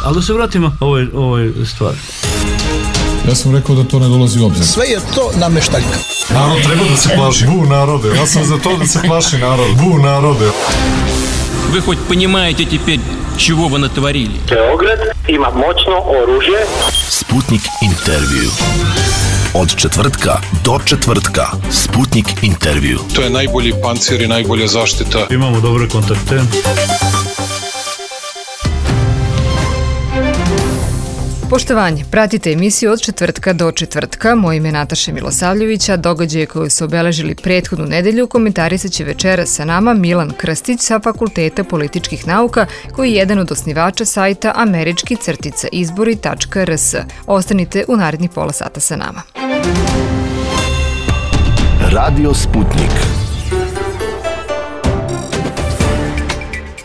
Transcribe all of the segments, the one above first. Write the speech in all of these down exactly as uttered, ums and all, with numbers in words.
Ali da se vratimo ovoj, ovoj stvari. Ja sam rekao da to ne dolazi u obzir. Sve je to nameštaljka. Narod treba da se plaši. Bu narode. Ja sam za to da se plaši narod. Bu narode. Вы хоть понимаете теперь, чего вы натворили? Beograd ima moćno oružje. Sputnik intervju. Od četvrtka do četvrtka. Sputnik intervju. To je najbolji pancir i najbolja zaštita. Imamo dobre kontakte. Poštovanje, pratite emisiju od četvrtka do četvrtka. Moje ime je Nataša Milosavljevića. Događaje koje su obeležili prethodnu nedelju komentarisat će večera sa nama Milan Krstić sa Fakulteta političkih nauka, koji je jedan od osnivača sajta američki crtica izbori tačka r s. Ostanite u narednih pola sata sa nama. Radio Sputnik.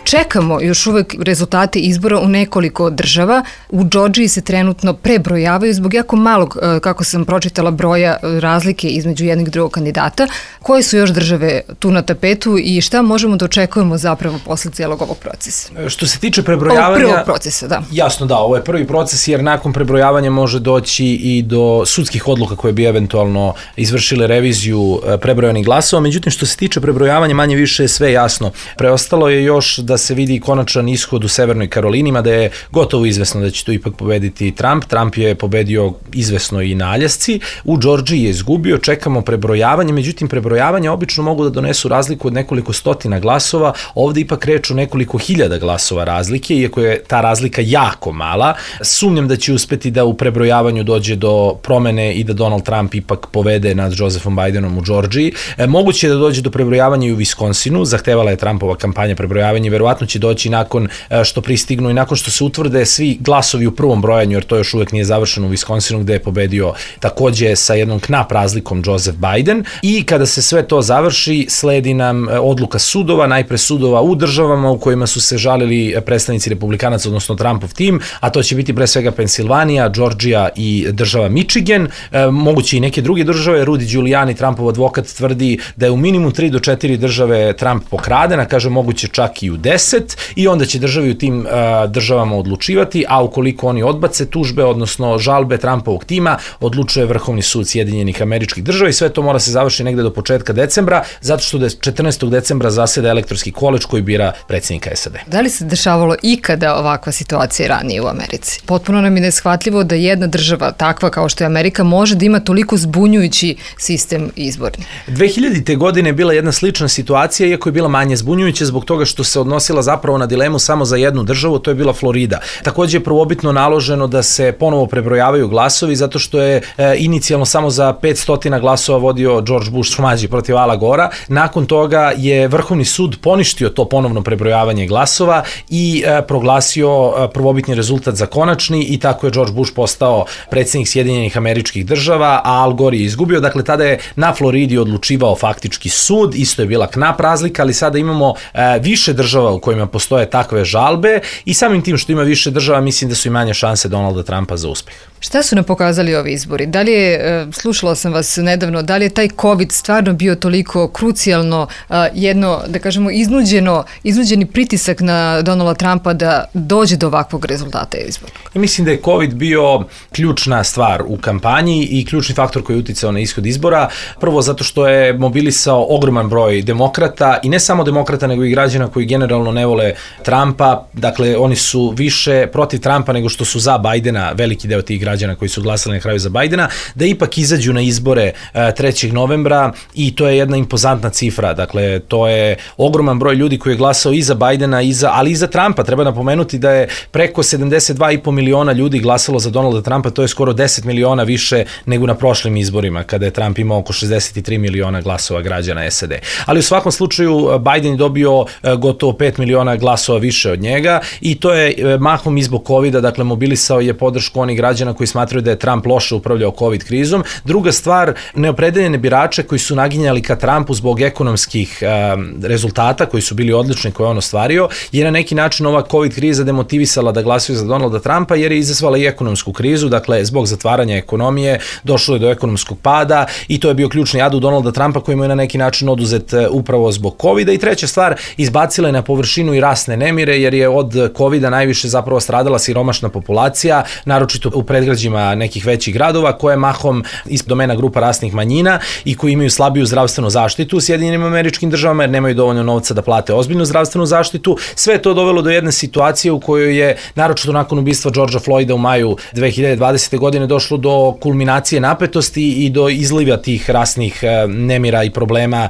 Čekamo još uvek rezultate izbora u nekoliko država. U Džordžiji se trenutno prebrojavaju zbog jako malog, kako sam pročitala, broja razlike između jednog i drugog kandidata. Koje su još države tu na tapetu i šta možemo da očekujemo zapravo posle cijelog ovog procesa? Što se tiče prebrojavanja... Ovog prvog procesa, da. Jasno, da, ovo je prvi proces jer nakon prebrojavanja može doći i do sudskih odluka koje bi eventualno izvršile reviziju prebrojanih glasova. Međutim, što se tiče prebrojavanja, manje više je sve jasno. Preostalo je još da se vidi konačan ishod u Severnoj Karolini, mada je gotovo izvesno da će tu ipak pobediti Trump. Trump je pobedio izvesno i na Aljasci. U Džordžiji je izgubio, čekamo prebrojavanje, međutim prebrojavanja obično mogu da donesu razliku od nekoliko stotina glasova, ovde ipak reč o nekoliko hiljada glasova razlike, iako je ta razlika jako mala. Sumnjam da će uspeti da u prebrojavanju dođe do promene i da Donald Trump ipak povede nad Josephom Bidenom u Džordžiji. E, moguće je da dođe do prebrojavanja i u Viskonsinu, zahtevala je Trumpova kampanja prebrojavanja, verovatno će doći nakon što pristignu i nakon što se utvrde svi glasovi u prvom brojanju, jer to još uvek nije završeno u Viskonsinu, gde je pobedio takođe sa jednom knap razlikom Joseph Biden. I kada se sve to završi, sledi nam odluka sudova, najpre sudova u državama u kojima su se žalili predstavnici republikanaca, odnosno Trumpov tim, a to će biti pre svega Pensilvanija, Džordžija i država Michigan, e, moguće i neke druge države. Rudy Giuliani, Trumpov advokat, tvrdi da je u minimum tri do četiri države Trump pokraden, a kaže moguće čak i u deset, i onda će državi u tim uh, državama odlučivati, a ukoliko oni odbace tužbe, odnosno žalbe Trumpovog tima, odlučuje Vrhovni sud Sjedinjenih Američkih Država i sve to mora se završiti negde do početka decembra, zato što da četrnaestog decembra zaseda elektorski koleđ koji bira predsjednika S A D. Da li se dešavalo ikada ovakva situacija ranije u Americi? Potpuno nam je neshvatljivo da jedna država takva kao što je Amerika može da ima toliko zbunjujući sistem izborni. dve hiljadite godine je bila jedna slična situacija, iako je bila manje zbunjujuća zbog toga što se odnosila zapravo na dilemu samo za jednu državu, to je bila Florida. Takođe je prvobitno naloženo da se ponovo prebrojavaju glasovi zato što je e, inicijalno samo za petsto glasova vodio George Bush mlađi protiv Ala Gora. Nakon toga je Vrhovni sud poništio to ponovno prebrojavanje glasova i e, proglasio e, prvobitni rezultat za konačni i tako je George Bush postao predsjednik Sjedinjenih Američkih Država, a Al Gore je izgubio. Dakle, tada je na Floridi odlučivao faktički sud, isto je bila knap razlika, ali sada imamo e, više država u kojima postoje takve žalbe i samim tim što ima više država, mislim da su i manje šanse Donalda Trumpa za uspeh. Šta su nam pokazali ovi izbori? Da li je, slušala sam vas nedavno, da li je taj COVID stvarno bio toliko krucijalno, jedno, da kažemo, iznuđeno, iznuđeni pritisak na Donalda Trumpa da dođe do ovakvog rezultata izbora? Mislim da je COVID bio ključna stvar u kampanji i ključni faktor koji je uticao na ishod izbora. Prvo zato što je mobilisao ogroman broj demokrata i ne samo demokrata, nego i građana koji generalno ne vole Trumpa. Dakle, oni su više protiv Trumpa nego što su za Bidena, veliki deo tih građana koji su glasali na kraju za Bidena, da ipak izađu na izbore trećeg novembra i to je jedna impozantna cifra. Dakle, to je ogroman broj ljudi koji je glasao i za Bidena, i za, ali i za Trumpa. Treba napomenuti da je preko sedamdeset dva i po miliona ljudi glasalo za Donalda Trumpa, to je skoro deset miliona više nego na prošlim izborima, kada je Trump imao oko šezdeset tri miliona glasova građana S A D. Ali u svakom slučaju Biden je dobio gotovo pet miliona glasova više od njega i to je mahom i zbog covida, dakle mobilisao je podršku onih građana koji smatraju da je Trump loše upravljao COVID krizom. Druga stvar, neopredeljene birače koji su naginjali ka Trumpu zbog ekonomskih um, rezultata koji su bili odlični koje on ostvario, je na neki način ova COVID kriza demotivisala da glasaju za Donalda Trumpa jer je izazvala i ekonomsku krizu, dakle zbog zatvaranja ekonomije došlo je do ekonomskog pada i to je bio ključni adu Donalda Trumpa koji mu je na neki način oduzet upravo zbog covida. I treća stvar, izbacila je na površinu i rasne nemire jer je od covida najviše zapravo stradala siromašna populacija, naročito u predgrađima nekih većih gradova koje je mahom iz domena grupa rasnih manjina i koji imaju slabiju zdravstvenu zaštitu u Sjedinjenim Američkim Državama jer nemaju dovoljno novca da plate ozbiljnu zdravstvenu zaštitu. Sve je to dovelo do jedne situacije u kojoj je, naročito nakon ubistva Georgea Floyda u maju dve hiljade dvadesete. godine, došlo do kulminacije napetosti i do izliva tih rasnih nemira i problema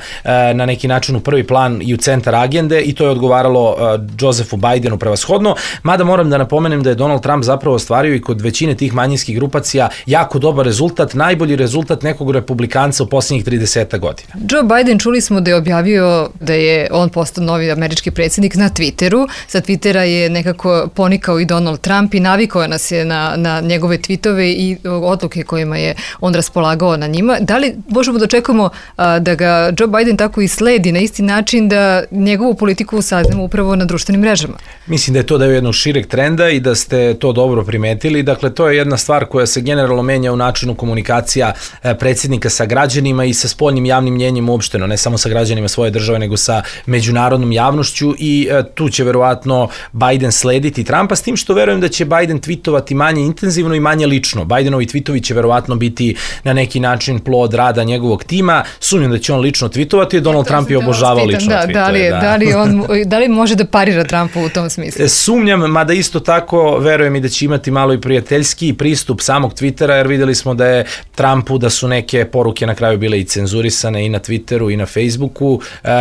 na neki način u prvi plan i u centar agende i to je odgovaralo Josephu Bidenu prevashodno, mada moram da napomenem da je Donald Trump zapravo ostvario i kod većine tih manjinskih grupacija jako dobar rezultat, najbolji rezultat nekog republikanca u posljednjih trideset godina. Joe Biden, čuli smo da je objavio da je on postao novi američki predsjednik na Twitteru. Sa Twittera je nekako ponikao i Donald Trump i navikao nas je na, na njegove tweetove i odluke kojima je on raspolagao na njima. Da li možemo da očekujemo a, da ga Joe Biden tako i sledi na isti način da njegovu politiku saznamo upravo na društvenim mrežama? Mislim da je to deo jednog šireg trenda i da ste to dobro primetili. Dakle, to je jedna stvar koja se generalno menja u načinu komunikacija predsjednika sa građanima i sa spoljnim javnim mnjenjem uopšteno, ne samo sa građanima svoje države, nego sa međunarodnom javnošću i tu će verovatno Biden slediti Trumpa, s tim što verujem da će Biden tweetovati manje intenzivno i manje lično. Bidenovi tweetovi će verovatno biti na neki način plod rada njegovog tima. Sumnjam da će on lično tweetovati, Donald Trump je obožavao lično da, tweetove. Da li, da. Da, li on, da li može da parira Trumpu u tom smislu? Sumnjam, mada isto tako verujem i da će imati malo i prijateljski pristup samog Twittera, jer videli smo da je Trumpu da su neke poruke na kraju bile i cenzurisane i na Twitteru i na Facebooku,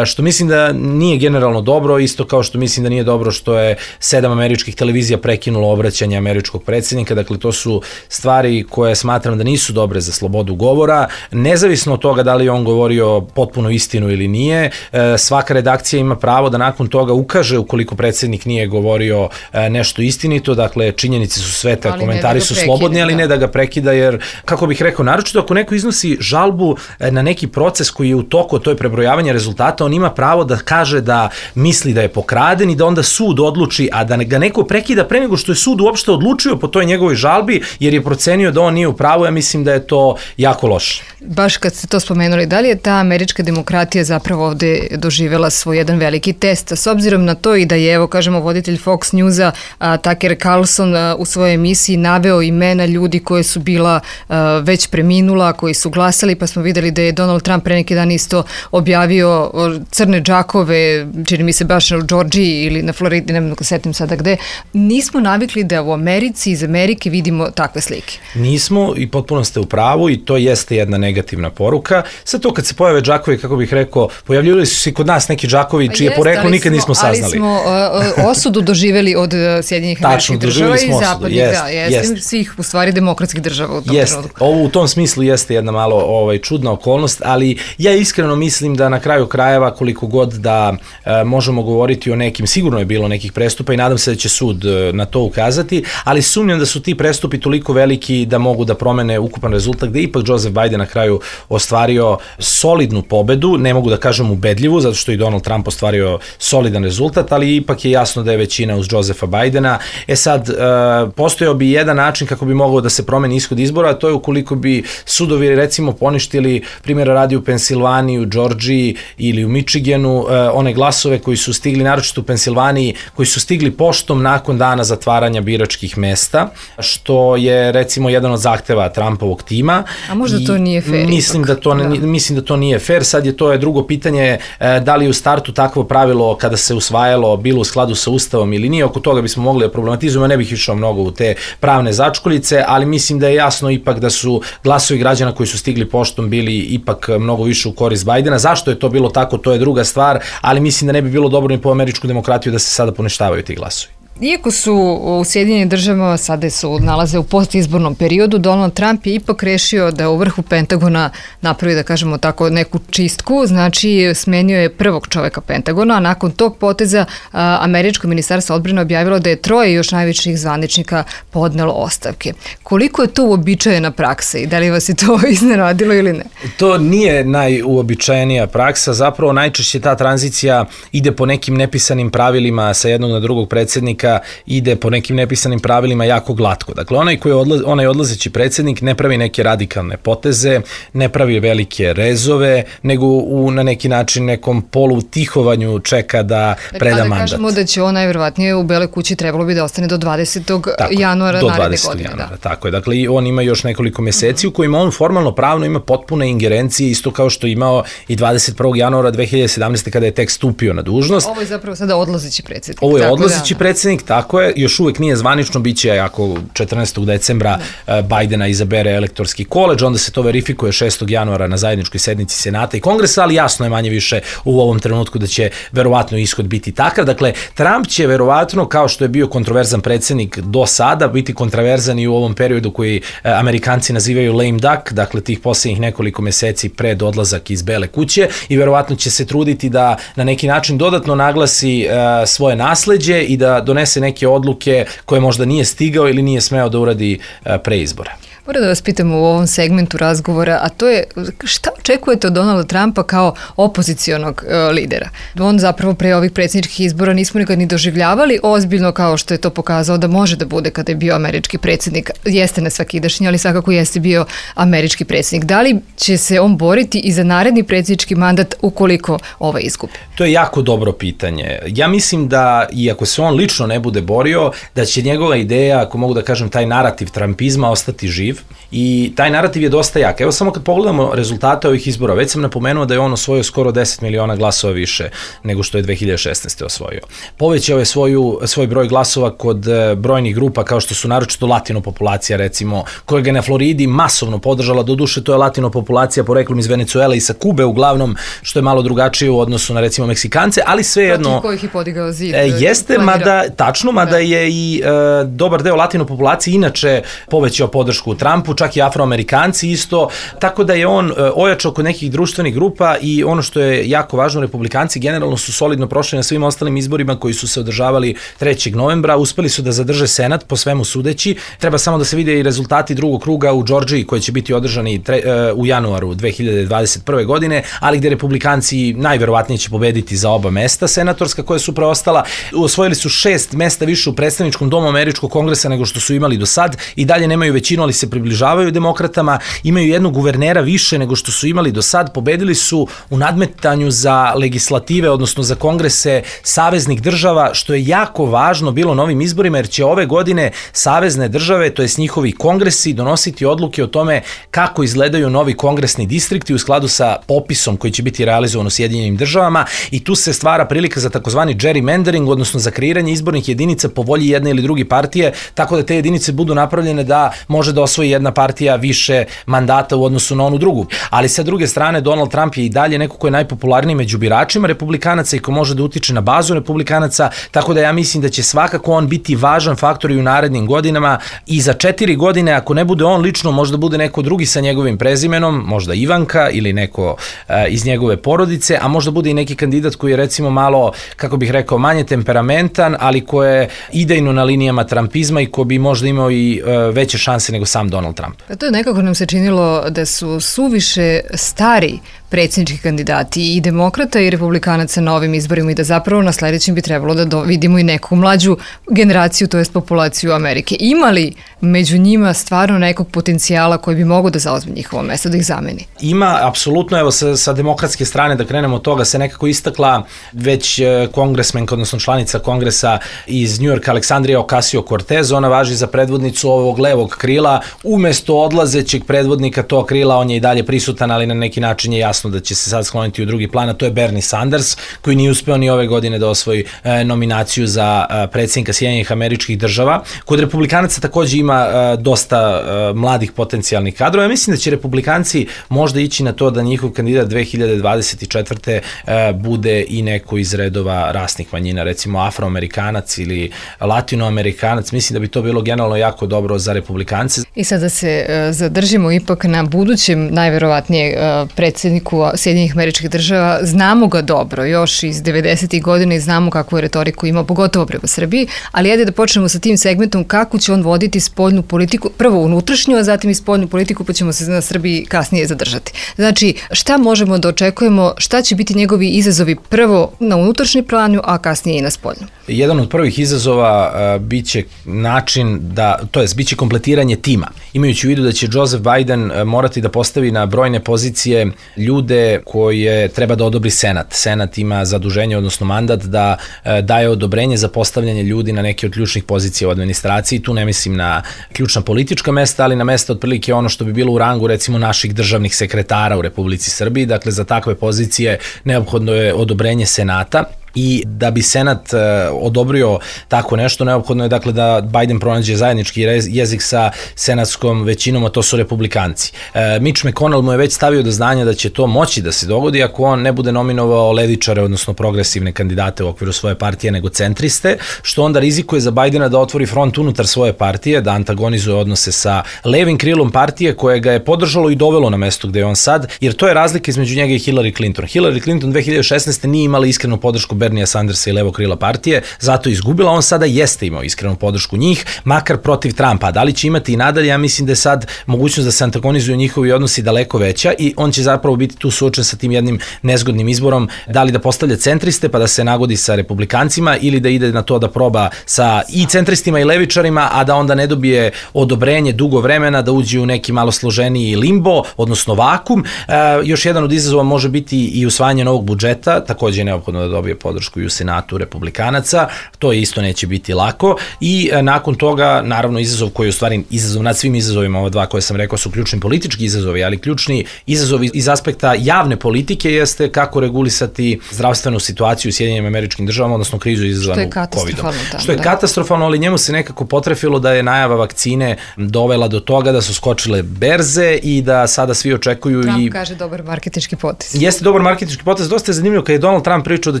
što mislim da nije generalno dobro, isto kao što mislim da nije dobro što je sedam američkih televizija prekinulo obraćanje američkog predsjednika. Dakle, to su stvari koje smatram da nisu dobre za slobodu govora, nezavisno od toga da li on govorio potpuno istinu ili nije. Svaka redakcija ima pravo da nakon toga ukaže ukoliko predsjednik nije govorio nešto istinito, dakle činjenice su svete, ali komentari da su prekida, slobodni, ali da. ne da ga prekida, jer kako bih rekao, naročito ako neko iznosi žalbu na neki proces koji je u toku, to je prebrojavanje rezultata, on ima pravo da kaže da misli da je pokraden i da onda sud odluči, a da ga neko prekida pre nego što je sud uopšte odlučio po toj njegovoj žalbi, jer je procenio da on nije u pravu. Ja mislim da je to jako loše. Baš kad ste to spomenuli, da li je ta američka demokratija zapravo ovde doživela svoj jedan veliki test, s obzirom na to i da je, evo kažemo, voditelj Fox Newsa a, Tucker Carlson a, u svojoj emisiji naveo imena ljudi koje su bila a, već preminula, koji su glasali, pa smo videli da je Donald Trump pre neki dan isto objavio crne džakove, čini mi se baš u Georgiji ili na Floridi, ne mogu setim sada gde. Nismo navikli da u Americi, iz Amerike vidimo takve slike. Nismo i potpuno ste u pravu i to jeste jedna negativna poruka. Sad to kad se pojave džakovi, kako bih rekao, pojavljivali su se kod nas neki džakovi čije jest, poreklo nikad smo, nismo saznali. Ali smo uh, osudu doživjeli od Sjedinjenih Američkih Država i zapadnih, jest, da, jest, jest. svih u stvari demokratskih država u tom jest. trenutku. Ovo u tom smislu jeste jedna malo ovaj, čudna okolnost, ali ja iskreno mislim da na kraju krajeva koliko god da uh, možemo govoriti o nekim, sigurno je bilo nekih prestupa i nadam se da će sud uh, na to ukazati, ali sumnjam da su ti prestupi toliko veliki da mogu da promene ukupan rezultat, gde ipak Joseph Biden na kraju ostvario solidnu pobedu, ne mogu da kažem ubedljivu, zato što i Donald Trump ostvario solidan rezultat, ali ipak je jasno da je većina uz Josepha Bidena. E sad, uh, postojao bi jedan način kako bi mogao da se promeni ishod izbora, a to je ukoliko bi sudovi recimo poništili, primjera radi u Pensilvaniji, u Georgiji ili u Michiganu, uh, one glasove koji su stigli, naročito u Pensilvaniji, koji su stigli poštom nakon dana zatvaranja biračkih mesta, što je recimo jedan od zahteva Trumpovog tima. A možda to nije fair. Mislim da to, da. mislim da to nije fair. Sad je to je drugo pitanje da li u startu takvo pravilo kada se usvajalo bilo u skladu sa Ustavom ili nije. Oko toga bismo mogli da problematizujemo. Ne bih išao mnogo u te pravne začkoljice, ali mislim da je jasno ipak da su glasovi građana koji su stigli poštom bili ipak mnogo više u korist Bidena. Zašto je to bilo tako, to je druga stvar, ali mislim da ne bi bilo dobro ni po američku demokratiju da se sada poništavaju ti glasovi. Iako su u Sjedinjenim državama sada su nalaze u postizbornom periodu, Donald Trump je ipak rešio da u vrhu Pentagona napravi, da kažemo tako, neku čistku, znači smenio je prvog čoveka Pentagona, a nakon tog poteza a, američko ministarstvo odbrane objavilo da je troje još najviših zvaničnika podnelo ostavke. Koliko je to uobičajena praksa i da li vas je to iznenadilo ili ne? To nije najuobičajenija praksa, zapravo najčešće ta tranzicija ide po nekim nepisanim pravilima sa jednog na drugog predsjednika, ide po nekim nepisanim pravilima jako glatko. Dakle, onaj koji je odla, onaj odlazeći predsjednik ne pravi neke radikalne poteze, ne pravi velike rezove, nego u, na neki način nekom polutihovanju čeka da preda mandat. A da kažemo da će on najverovatnije u Beloj kući trebalo bi da ostane do dvadesetog januara naredne godine. Januara, da. Tako je. Dakle, i on ima još nekoliko meseci uh-huh. u kojima on formalno pravno ima potpune ingerencije, isto kao što imao i dvadeset prvog januara dve hiljade sedamnaeste. kada je tek stupio na dužnost. Ovo je zapravo sada odlazeći predsjednik. Ovo je odlazeći da, predsjednik, tako je, još uvek nije zvanično, bit će ako četrnaestog decembra da. Bajdena izabere elektorski koleđ, onda se to verifikuje šestog januara na zajedničkoj sednici Senata i Kongresa, ali jasno je manje više u ovom trenutku da će verovatno ishod biti takav. Dakle, Trump će verovatno, kao što je bio kontroverzan predsjednik do sada, biti kontroverzan i u ovom periodu koji Amerikanci nazivaju lame duck, dakle tih posljednjih nekoliko meseci pred odlazak iz Bele kuće, i verovatno će se truditi da na neki način dodatno naglasi uh, svoje nasleđe i da donese neke odluke koje možda nije stigao ili nije smeo da uradi uh, pre izbora. Moram da vas pitam u ovom segmentu razgovora, a to je šta očekujete od Donalda Trumpa kao opozicionog uh, lidera? On zapravo pre ovih predsjedničkih izbora nismo nikad ni doživljavali ozbiljno kao što je to pokazao da može da bude kada je bio američki predsjednik. Jeste nesvakidašnji, ali svakako jeste bio američki predsjednik. Da li će se on boriti i za naredni predsjednički mandat ukoliko ovaj izgubi? To je jako dobro pitanje. Ja mislim da, iako se on lično ne bude borio, da će njegova ideja, ako mogu da kažem, taj narativ trumpizma ostati živ. I taj narativ je dosta jak. Evo samo kad pogledamo rezultate ovih izbora, već sam napomenuo da je on osvojio skoro deset miliona glasova više nego što je dve hiljade šesnaeste. osvojio. Povećao je svoju, svoj broj glasova kod brojnih grupa kao što su naročito latino populacija, recimo, koja ga na Floridi masovno podržala, doduše to je latino populacija poreklom iz Venecuele i sa Kube uglavnom, što je malo drugačije u odnosu na recimo Meksikance, ali svejedno... Protiv kojih je podigao zid. E, jeste, mada, tačno, mada je i e, dobar deo latino populacije inače povećao podršku Trumpu, čak i Afroamerikanci isto, tako da je on ojačao kod nekih društvenih grupa i ono što je jako važno, Republikanci generalno su solidno prošli na svim ostalim izborima koji su se održavali trećeg novembra, uspeli su da zadrže Senat po svemu sudeći, treba samo da se vide i rezultati drugog kruga u Džordžiji koji će biti održani tre, u januaru dve hiljade dvadeset prve. godine, ali gde Republikanci najverovatnije će pobediti za oba mesta senatorska koja su preostala. Osvojili su šest mesta više u predstavničkom domu američkog kongresa nego što su imali do sad i dalje nemaju većinu, ali se približavaju demokratama, imaju jednog guvernera više nego što su imali do sad, pobedili su u nadmetanju za legislative, odnosno za kongrese saveznih država, što je jako važno bilo na ovim izborima, jer će ove godine savezne države, to jest njihovi kongresi, donositi odluke o tome kako izgledaju novi kongresni distrikti u skladu sa popisom koji će biti realizovan u Sjedinjenim državama i tu se stvara prilika za takozvani gerrymandering, odnosno za kreiranje izbornih jedinica po volji jedne ili druge partije, tako da te jedinice budu napravljene da može da osvoji jedna partija više mandata u odnosu na onu drugu. Ali sa druge strane, Donald Trump je i dalje neko ko je najpopularniji među biračima republikanaca i ko može da utiče na bazu republikanaca, tako da ja mislim da će svakako on biti važan faktor i u narednim godinama i za četiri godine, ako ne bude on lično, možda bude neko drugi sa njegovim prezimenom, možda Ivanka ili neko uh, iz njegove porodice, a možda bude i neki kandidat koji je recimo malo, kako bih rekao, manje temperamentan, ali ko je idejno na linijama trumpizma i ko bi možda imao i uh, veće šanse nego sam Donald Trump. Pa to je nekako nam se činilo da su suviše stari predsjednički kandidati i demokrata i republikanaca na ovim izborima i da zapravo na sledećem bi trebalo da do, vidimo i neku mlađu generaciju, to jest populaciju Amerike. Ima li među njima stvarno nekog potencijala koji bi mogao da zauzme njihovo mesto, da ih zameni? Ima, apsolutno, evo sa, sa demokratske strane, da krenemo od toga, se nekako istakla već kongresmenka, odnosno članica kongresa iz New Yorka, Aleksandrija Ocasio-Cortez, ona važi za predvodnicu ovog levog krila, umesto odlazećeg predvodnika tog krila, on je i dalje prisutan, ali na neki način je jasno jasno da će se sad skloniti u drugi plan, a to je Bernie Sanders, koji nije uspeo ni ove godine da osvoji e, nominaciju za e, predsjednika Sjedinjenih Američkih Država. Kod republikanaca takođe ima e, dosta e, mladih potencijalnih kadrova. Ja mislim da će republikanci možda ići na to da njihov kandidat dve hiljade dvadeset četvrte. E, bude i neko iz redova rasnih manjina, recimo afroamerikanac ili latinoamerikanac. Mislim da bi to bilo generalno jako dobro za republikance. I sad da se uh, zadržimo ipak na budućem najverovatnije uh, predsjedniku Sjedinjenih Američkih Država. Znamo ga dobro, još iz devedesetih godina i znamo kakvu je retoriku imao, pogotovo prema Srbiji, ali ajde da počnemo sa tim segmentom kako će on voditi spoljnu politiku, prvo unutrašnju, a zatim i spoljnu politiku, pa ćemo se na Srbiji kasnije zadržati. Znači, šta možemo da očekujemo, šta će biti njegovi izazovi prvo na unutrašnjem planu, a kasnije i na spoljnu? Jedan od prvih izazova uh, biće način da, to jest biće kompletiranje tima. Imajući u vidu da će Joseph Biden uh, morati da postavi na brojne pozicije ljude koje treba da odobri Senat. Senat ima zaduženje, odnosno mandat da uh, daje odobrenje za postavljanje ljudi na neke od ključnih pozicija u administraciji. Tu ne mislim na ključna politička mesta, ali na mesta otprilike ono što bi bilo u rangu recimo naših državnih sekretara u Republici Srbiji. Dakle, za takve pozicije neophodno je odobrenje Senata. I da bi Senat e, odobrio tako nešto, neophodno je dakle da Biden pronađe zajednički jezik sa senatskom većinom, a to su republikanci. E, Mitch McConnell mu je već stavio do znanja da će to moći da se dogodi ako on ne bude nominovao levičare, odnosno progresivne kandidate u okviru svoje partije, nego centriste, što onda rizikuje za Bidena da otvori front unutar svoje partije, da antagonizuje odnose sa levim krilom partije koje ga je podržalo i dovelo na mesto gde je on sad, jer to je razlika između njega i Hillary Clinton. Hillary Clinton dve hiljade šesnaeste. nije imala iskrenu podršku Bernie Sandersa i levo krila partije, zato je izgubila. On sada jeste imao iskrenu podršku njih, makar protiv Trumpa. Da li će imati i nadalje? Ja mislim da je sad mogućnost da se antagonizuju njihovi odnosi daleko veća i on će zapravo biti tu suočen sa tim jednim nezgodnim izborom, da li da postavlja centriste pa da se nagodi sa republikancima ili da ide na to da proba sa i centristima i levičarima, a da onda ne dobije odobrenje dugo vremena, da uđe u neki malo složeniji limbo, odnosno vakum. E, još jedan od izazova može biti i usvajanje novog budžeta, takođe je neophodno da dobije podršku i u Senatu republikanaca, to isto neće biti lako i e, nakon toga, naravno, izazov koji je u stvari izazov nad svim izazovima, ova dva koje sam rekao su ključni politički izazovi, ali ključni izazovi iz aspekta javne politike jeste kako regulisati zdravstvenu situaciju u Sjedinjenim Američkim Državama, odnosno krizu izazvanu kovidom. Što je da. katastrofalno, ali njemu se nekako potrefilo da je najava vakcine dovela do toga da su skočile berze i da sada svi očekuju. Trump i... kaže dobar marketinški potez. Jeste dobar marketinški potez, dosta je zanimljivo kad je Donald Trump pričao da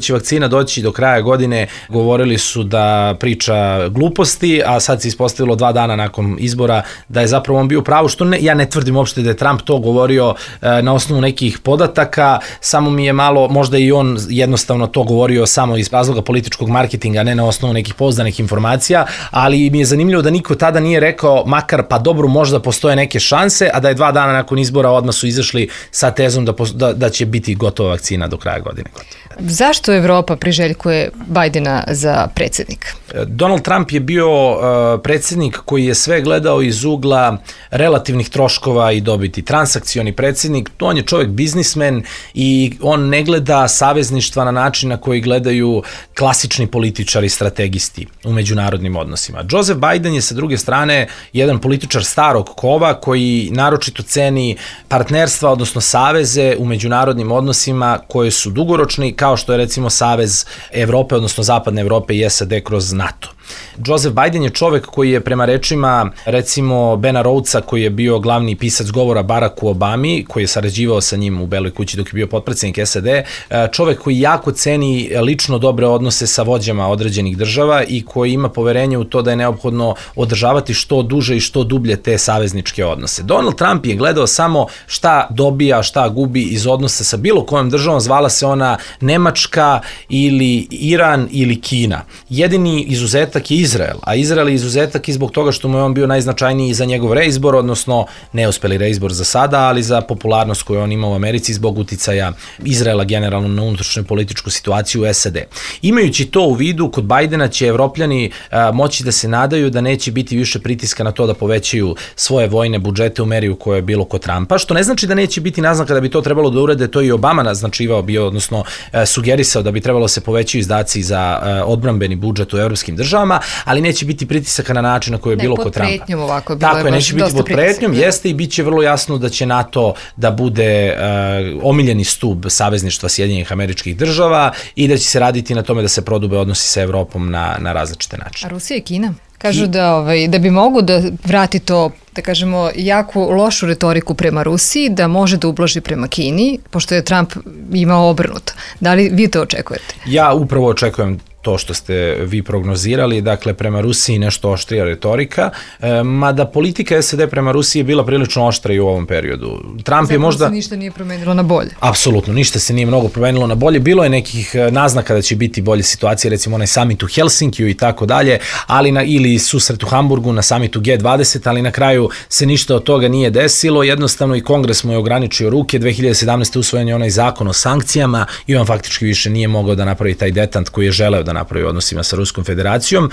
će vakcina doći do kraja godine, govorili su da priča gluposti, a sad se ispostavilo dva dana nakon izbora da je zapravo on bio pravo, što ne, ja ne tvrdim uopšte da je Trump to govorio e, na osnovu nekih podataka, samo mi je malo, možda i on jednostavno to govorio samo iz razloga političkog marketinga, ne na osnovu nekih pouzdanih informacija, ali mi je zanimljivo da niko tada nije rekao, makar pa dobro, možda postoje neke šanse, a da je dva dana nakon izbora odmah su izašli sa tezom da, da, da će biti gotova vakcina do kraja godine. Zašto Evropa priželjkuje Bidena za predsjednika? Donald Trump je bio uh, predsjednik koji je sve gledao iz ugla relativnih troškova i dobiti. Transakcioni predsjednik, on je čovjek biznismen i on ne gleda savezništva na način na koji gledaju klasični političari, strategisti u međunarodnim odnosima. Joseph Biden je sa druge strane jedan političar starog kova koji naročito ceni partnerstva, odnosno saveze u međunarodnim odnosima koje su dugoročni, kao što je recimo Savez Evrope, odnosno Zapadne Evrope i S A D kroz NATO. Joseph Biden je čovek koji je prema rečima recimo Bena Rhodesa, koji je bio glavni pisac govora Baracku Obami, koji je sarađivao sa njim u Beloj kući dok je bio potpredsjednik S A D, čovek koji jako ceni lično dobre odnose sa vođama određenih država i koji ima poverenje u to da je neophodno održavati što duže i što dublje te savezničke odnose. Donald Trump je gledao samo šta dobija, šta gubi iz odnosa sa bilo kojom državom, zvala se ona Nemačka ili Iran ili Kina. Jedini izuzetak je Izrael, a Izrael je izuzetak i zbog toga što mu je on bio najznačajniji za njegov reizbor, odnosno neuspeli reizbor za sada, ali za popularnost koju on ima u Americi zbog uticaja Izraela generalno na unutrašnju političku situaciju u S A D. Imajući to u vidu, kod Bidena će Evropljani a, moći da se nadaju da neće biti više pritiska na to da povećaju svoje vojne budžete u meri u kojoj je bilo kod Trumpa, što ne znači da neće biti naznaka da bi to trebalo da urade, to i Obama naznačivao bio, odnosno a, sugerisao da bi trebalo se povećaju izdaci za a, odbrambeni budžet u evropskim državama, državama, ali neće biti pritisaka na način na koji je ne, bilo kod Trumpa. Ne, pod pretnjom ovako. Bilo Tako je, neće biti pod pretnjom, jeste i bit će vrlo jasno da će NATO da bude uh, omiljeni stub savezništva Sjedinjenih Američkih Država i da će se raditi na tome da se prodube odnosi sa Evropom na, na različite načine. A Rusija i Kina? Kažu da, ovaj, da bi mogu da vrati to, da kažemo, jako lošu retoriku prema Rusiji, da može da ublaži prema Kini, pošto je Trump imao obrnuto. Da li vi to očekujete? Ja upravo očekujem to što ste vi prognozirali, dakle prema Rusiji nešto oštrija retorika, e, mada politika S A D prema Rusiji je bila prilično oštra i u ovom periodu. Trump Zapravo je možda... se ništa nije promenilo na bolje. Apsolutno, ništa se nije mnogo promenilo na bolje. Bilo je nekih naznaka da će biti bolje situacije, recimo onaj summit u Helsinkiju i tako dalje, ali na, ili susret u Hamburgu na summitu G dvadeset, ali na kraju se ništa od toga nije desilo. Jednostavno i Kongres mu je ograničio ruke. dve hiljade sedamnaeste. usvojen je onaj zakon o sankcijama i on faktički više nije mogao da napravi taj detant koji je želeo da napravi u odnosima sa Ruskom federacijom.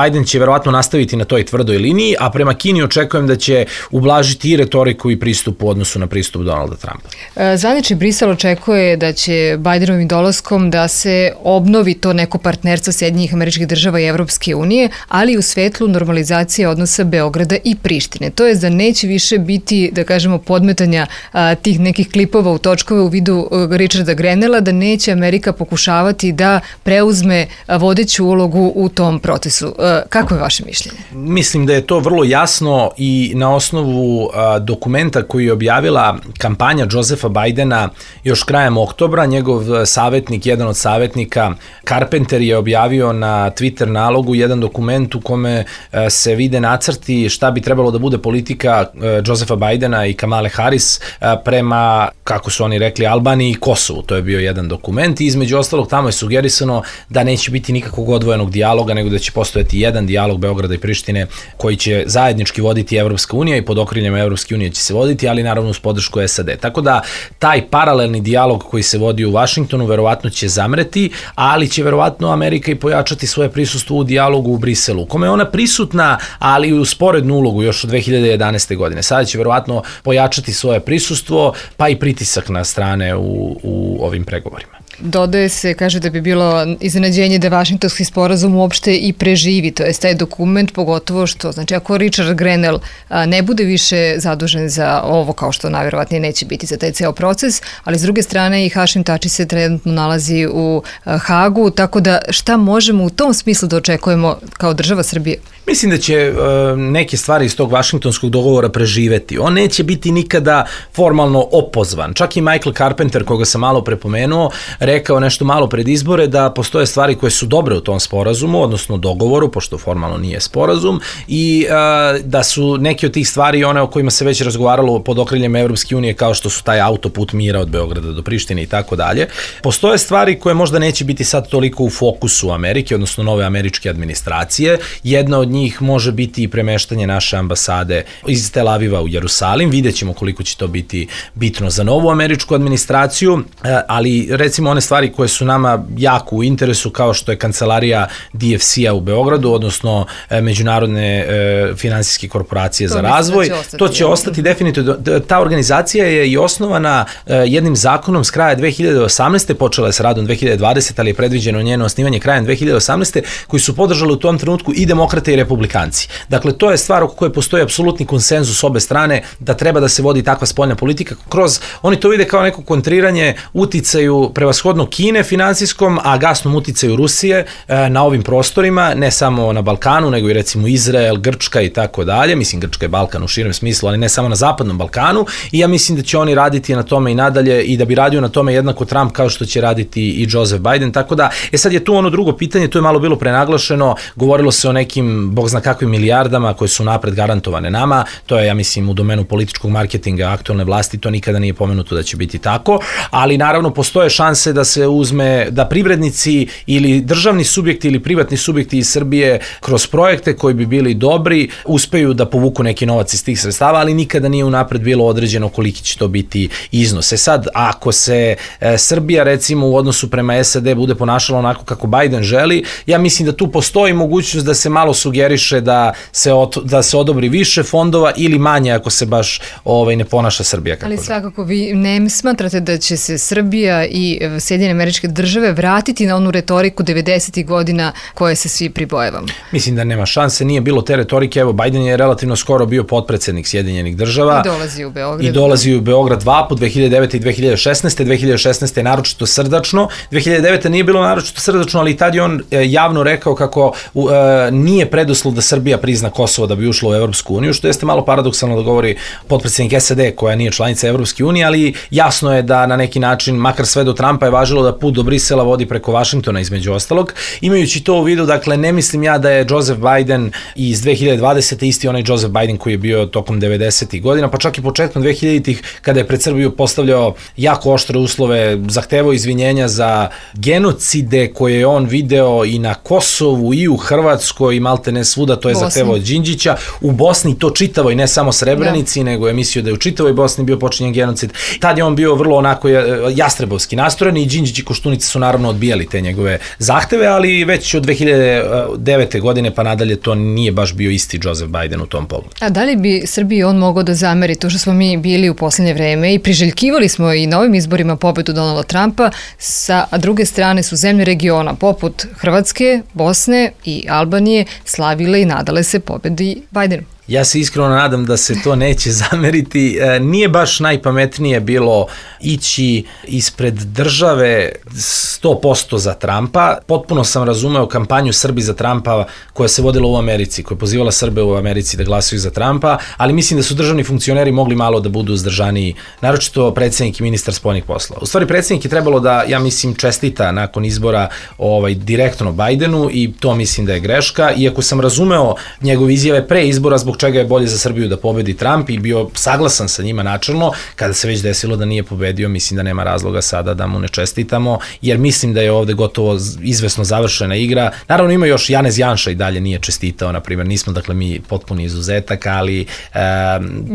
Biden će verovatno nastaviti na toj tvrdoj liniji, a prema Kini očekujem da će ublažiti i retoriku i pristup u odnosu na pristup Donalda Trumpa. Zvanični Brisel očekuje da će Bidenovim dolaskom da se obnovi to neko partnerstvo Sjedinjenih Američkih Država i Evropske unije, ali u svetlu normalizacije odnosa Beograda i Prištine. To je da neće više biti, da kažemo, podmetanja a, tih nekih klipova u točkove u vidu a, Richarda Grenella, da neće Amerika pokušavati da preuzme a, vodeću ulogu u tom procesu. A, kako je vaše mišljenje? Mislim da je to vrlo jasno i na osnovu a, dokumenta koji je objavila kampanja Josepha Bidena još krajem oktobra. Njegov savjetnik, jedan od savjetnika, Carpenter, je objavio na Twitter nalogu jedan dokument u kome a, se vide nacrti šta bi trebalo da bude politika a, Josepha Bidena i Kamale Harris a, prema, kako su oni rekli, Albaniji i Kosovu. To je bio jedan dokument i između ostalog tamo je sugerisano da neće biti nikakvog odvojenog dijaloga, nego da će postojati jedan dijalog Beograda i Prištine koji će zajednički voditi Evropska unija i pod okriljem Evropske unije će se voditi, ali naravno uz podršku S A D. Tako da taj paralelni dijalog koji se vodi u Vašingtonu verovatno će zamreti, ali će verovatno Amerika i pojačati svoje prisustvo u dijalogu u Briselu, u kome je ona prisutna, ali u sporednu ulogu još od dve hiljade jedanaeste. godine. Sada će verovatno pojačati svoje prisustvo, pa i pritisak na strane u, u ovim pregovorima. Dodaje se, kaže da bi bilo iznenađenje da Vašingtonski sporazum uopšte i preživi, to je taj dokument, pogotovo što, znači ako Richard Grenell a, ne bude više zadužen za ovo, kao što najverovatnije neće biti za taj ceo proces, ali s druge strane i Hašim Tači se trenutno nalazi u a, Hagu, tako da šta možemo u tom smislu da očekujemo kao država Srbije? Mislim da će uh, neke stvari iz tog Vašingtonskog dogovora preživeti. On neće biti nikada formalno opozvan. Čak i Michael Carpenter, koga sam malo prepomenuo, rekao nešto malo pred izbore da postoje stvari koje su dobre u tom sporazumu, odnosno dogovoru, pošto formalno nije sporazum, i uh, da su neke od tih stvari one o kojima se već razgovaralo pod okriljem Evropske unije, kao što su taj autoput mira od Beograda do Prištine i tako dalje. Postoje stvari koje možda neće biti sad toliko u fokusu Amerike, odnosno nove američke administracije. Jedna od njih može biti i premeštanje naše ambasade iz Tel Aviva u Jerusalim. Vidjet ćemo koliko će to biti bitno za novu američku administraciju, ali recimo one stvari koje su nama jako u interesu, kao što je kancelarija D F C-a u Beogradu, odnosno Međunarodne e, finansijske korporacije to za razvoj. Će ostati, to će ostati definitivno. Ta organizacija je i osnovana e, jednim zakonom s kraja dve hiljade osamnaeste. Počela je s radom dve hiljade dvadesete. ali je predviđeno njeno osnivanje krajem dve hiljade osamnaeste. koji su podržali u tom trenutku i demokrate i republikanci. Dakle, to je stvar oko koje postoji apsolutni konsenzus obe strane da treba da se vodi takva spoljna politika kroz, oni to vide kao neko kontriranje uticaju prevashodno Kine finansijskom, a gasnom uticaju Rusije e, na ovim prostorima, ne samo na Balkanu, nego i recimo Izrael, Grčka i tako dalje. Mislim, Grčka je Balkan u širem smislu, ali ne samo na zapadnom Balkanu, i ja mislim da će oni raditi na tome i nadalje i da bi radio na tome jednako Trump kao što će raditi i Joseph Biden. Tako da, e sad je tu ono drugo pitanje, to je malo bilo prenaglašeno, govorilo se o nekim, bog zna kakvim milijardama koje su napred garantovane nama, to je, ja mislim, u domenu političkog marketinga aktualne vlasti, to nikada nije pomenuto da će biti tako, ali naravno postoje šanse da se uzme, da privrednici ili državni subjekti ili privatni subjekti iz Srbije kroz projekte koji bi bili dobri, uspeju da povuku neki novac iz tih sredstava, ali nikada nije unapred bilo određeno koliki će to biti iznose. Sad, ako se e, Srbija recimo u odnosu prema S A D bude ponašala onako kako Biden želi, ja mislim da tu postoji mogućnost da se malo sugeriše da se, od, da se odobri više fondova ili manje ako se baš ovaj, ne ponaša Srbija kako Ali želi. svakako vi ne smatrate da će se Srbija i Sjedinjene Američke Države vratiti na onu retoriku devedesetih godina koje se svi pribojevamo? Mislim da nema šanse, nije bilo te retorike. Evo, Biden je relativno skoro bio potpredsednik Sjedinjenih Država. I dolazi u Beograd. I dolazi u Beograd dva put, dve hiljade devete i dve hiljade šesnaeste. dve hiljade šesnaeste je naročito srdačno. dve hiljade devete nije bilo naročito srdačno, ali tad je on javno rekao kako uh, nije preduslov da Srbija prizna Kosovo da bi ušla u Evropsku uniju, što jeste malo paradoksalno da govori potpredsednik S A D koja nije članica Evropske unije, ali jasno je da na neki način, makar sve do Trumpa je važilo da put do Brisela vodi preko Vašingtona između ostalog. Imajući to u vidu, dakle, ne mislim ja da je Joseph Biden iz dve hiljade dvadesete isti onaj Joseph Biden koji je bio tokom devedesetih godina, pa čak i početkom dve hiljaditih kada je pred Srbiju postavljao jako oštre uslove, zahtevao izvinjenja za genocide koje je on video i na Kosovu i u Hrvatskoj i malte ne svuda, to je Bosni. Zahtevao od Đinđića. U Bosni to čitavo i ne samo Srebrenici, da. nego je mislio da je u čitavoj Bosni bio počinjen genocid. Tad je on bio vrlo onako jastrebovski nastrojen i Đinđić i Koštunica su naravno odbijali te njegove zahteve, ali već od dve hiljade devete godine pa nadalje to nije baš bio isti Joseph Biden u tom pogledu. A da li bi Srbiji on mogao da zameri to što smo mi bili u poslednje vreme i priželjkivali smo i na ovim izborima pobedu Donalda Trumpa, sa a druge strane su zemlje regiona poput Hrvatske, Bosne i Albanije slavile i nadale se pobedi Bidenu? Ja se iskreno nadam da se to neće zameriti. Nije baš najpametnije bilo ići ispred države sto posto za Trumpa. Potpuno sam razumeo kampanju Srbi za Trumpa koja se vodila u Americi, koja je pozivala Srbe u Americi da glasaju za Trumpa, ali mislim da su državni funkcioneri mogli malo da budu uzdržaniji, naročito predsjednik i ministar spoljnih poslova. U stvari, predsjednik je trebalo da, ja mislim, čestita nakon izbora ovaj, direktno Bidenu i to mislim da je greška, iako sam razumeo njegove izjave pre izbora zbog čega je bolje za Srbiju da pobedi Trump i bio saglasan sa njima načelno, kada se već desilo da nije pobedio, mislim da nema razloga sada da mu ne čestitamo, jer mislim da je ovde gotovo izvesno završena igra. Naravno ima još Janez Janša i dalje nije čestitao, na primjer, nismo dakle mi potpuni izuzetak, ali e,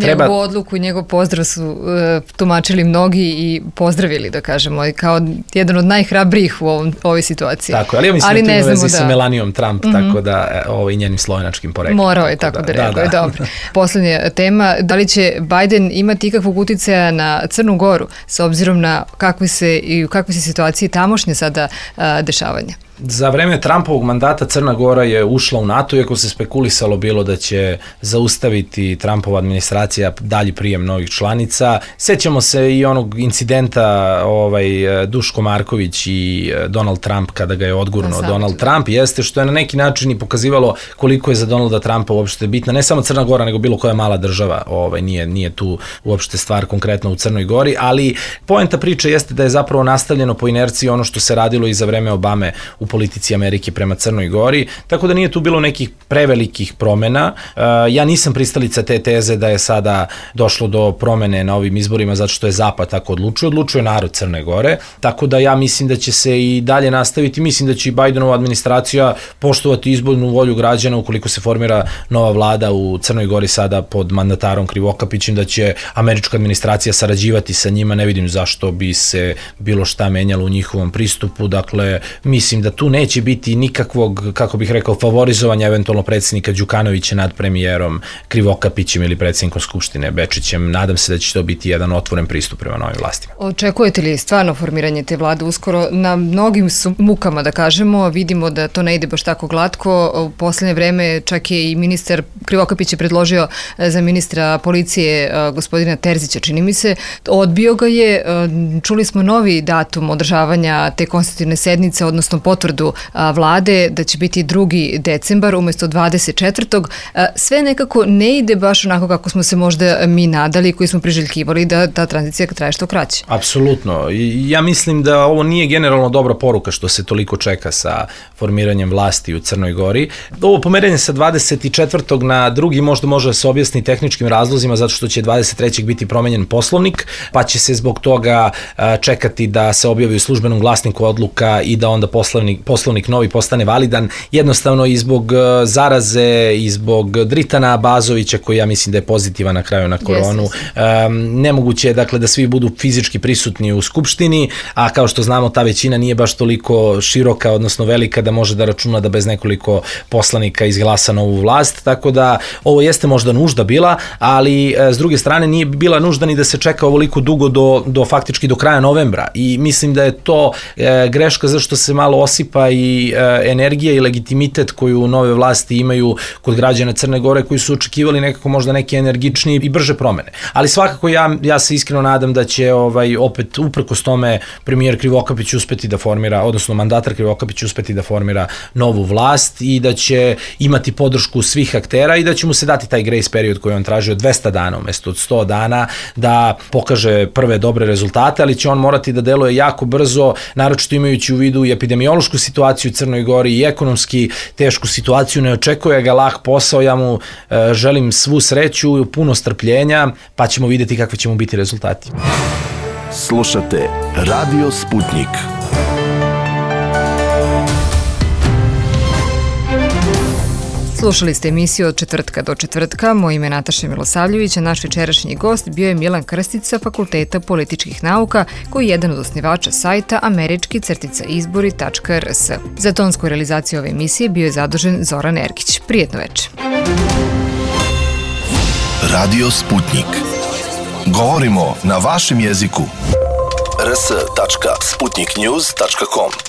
treba... Njegovu odluku i njegov pozdrav su e, tumačili mnogi i pozdravili, da kažemo, kao jedan od najhrabrijih u ovom, ovoj situaciji. Tako, ali ja mislim ali da to ima vezi da... sa Melanijom Trump, mm -hmm. tako da ovo i njenim slovenačkim poreklom. Morao je tako da, da reaguje, da, dobro. Poslednja tema, da li će Biden imati ikakvog uticaja na Crnu Goru s obzirom na kakvi se i u kakvoj se situaciji tamošnje sada a, dešavanja? Za vreme Trumpovog mandata Crna Gora je ušla u NATO, iako se spekulisalo bilo da će zaustaviti Trumpova administracija dalji prijem novih članica. Sećamo se i onog incidenta ovaj, Duško Marković i Donald Trump kada ga je odgurnuo Donald Trump, jeste što je na neki način i pokazivalo koliko je za Donalda Trumpa uopšte bitna, ne samo Crna Gora, nego bilo koja mala država, ovaj, nije, nije tu uopšte stvar konkretno u Crnoj Gori, ali poenta priče jeste da je zapravo nastavljeno po inerciji ono što se radilo i za vreme Obame u politici Amerike prema Crnoj Gori, tako da nije tu bilo nekih prevelikih promena. Ja nisam pristalica te teze da je sada došlo do promene na ovim izborima zato što je Zapad tako odlučio, odlučio narod Crne Gore, tako da ja mislim da će se i dalje nastaviti, mislim da će i Bidenova administracija poštovati izbornu volju građana ukoliko se formira nova vlada u Crnoj Gori sada pod mandatarom Krivokapićem, da će američka administracija sarađivati sa njima, ne vidim zašto bi se bilo šta menjalo u njihovom pristupu, dakle mislim da tu neće biti nikakvog, kako bih rekao, favorizovanja eventualno predsjednika Đukanovića nad premijerom Krivokapićem ili predsjednikom Skupštine Bečićem. Nadam se da će to biti jedan otvoren pristup prema novim vlastima. Očekujete li stvarno formiranje te vlade uskoro? Na mnogim su mukama, da kažemo, vidimo da to ne ide baš tako glatko. U poslednje vreme čak je i ministar Krivokapić je predložio za ministra policije gospodina Terzića, čini mi se. Odbio ga je. Čuli smo novi datum održavanja te konstitutivne sednice, odnosno potvrdu vlade da će biti drugi decembar umesto dvadeset četvrtog Sve nekako ne ide baš onako kako smo se možda mi nadali, koji smo priželjkivali da ta tranzicija traje što kraće. Apsolutno. Ja mislim da ovo nije generalno dobra poruka što se toliko čeka sa formiranjem vlasti u Crnoj Gori. Ovo pomeranje sa dvadeset četvrtog na drugi možda može da se objasni tehničkim razlozima zato što će dvadeset trećeg biti promenjen poslovnik, pa će se zbog toga čekati da se objavi u službenom glasniku odluka i da onda poslovnik poslovnik, poslovnik novi postane validan, jednostavno i zbog zaraze i zbog Dritana Bazovića, koji ja mislim da je pozitivan na kraju na koronu. Yes. Um, nemoguće je dakle da svi budu fizički prisutni u Skupštini, a kao što znamo ta većina nije baš toliko široka, odnosno velika da može da računa da bez nekoliko poslanika izglasa novu vlast, tako da ovo jeste možda nužda bila, ali e, s druge strane nije bila nužda ni da se čeka ovoliko dugo do, do faktički do kraja novembra i mislim da je to e, greška zašto se malo osipa i e, energija i legitimitet koju nove vlasti imaju kod građana Crne Gore koji su očekivali nekako možda neke energičnije i brže promene. Ali svakako ja, ja se iskreno nadam da će ovaj, opet uprkos tome premijer Krivokapić uspeti da formira, odnosno mandatar Krivokapić uspeti da formira novu vlast i da će imati podršku svih aktera i da će mu se dati taj grace period koji on traži od dvesta dana umesto od sto dana da pokaže prve dobre rezultate, ali će on morati da deluje jako brzo, naročito imajući u vidu i epidemiološku situaciju u Crnoj Gori i ekonomski tešku situaciju, ne očekuje ga lak posao, ja mu e, želim svu sreću i puno strpljenja, pa ćemo vidjeti kakvi će mu biti rezultati. Slušate Radio Sputnik. Slušali ste emisiju od četvrtka do četvrtka. Moje ime je Nataša Milosavljević, a naš večerašnji gost bio je Milan Krstić sa Fakulteta političkih nauka, koji je jedan od osnivača sajta američki crtica izbori tačka er es. Za tonsku realizaciju ove emisije bio je zadužen Zoran Ergić. Prijetno večer. Radio Sputnik. Govorimo na vašem jeziku. er es tačka sputnik news tačka com